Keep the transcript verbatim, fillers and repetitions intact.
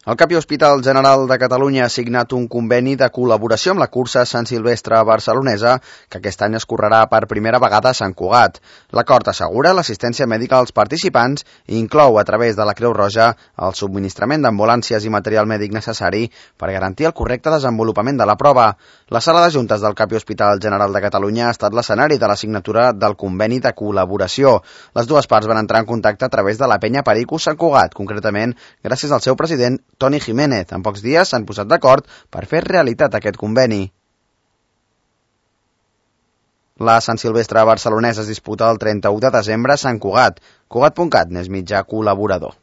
El Capi Hospital General de Catalunya ha signat un conveni de col·laboració amb la cursa Sant Silvestre barcelonesa, que aquest any es correrà per primera vegada a Sant Cugat. L'acord assegura l'assistència mèdica als participants i inclou, a través de la Creu Roja, el subministrament d'ambulàncies i material mèdic necessari per garantir el correcte desenvolupament de la prova. La sala de juntes del Capi Hospital General de Catalunya ha estat l'escenari de la signatura del conveni de col·laboració. Les dues parts van entrar en contacte a través de la penya Pericus Sant Cugat, concretament gràcies al seu president, Toni Jiménez. En pocs dies s'han posat d'acord per fer realitat aquest conveni. La Sant Silvestre barcelonesa es disputa el trenta-u de desembre a Sant Cugat. Cugat punt cat n'és mitjà col·laborador.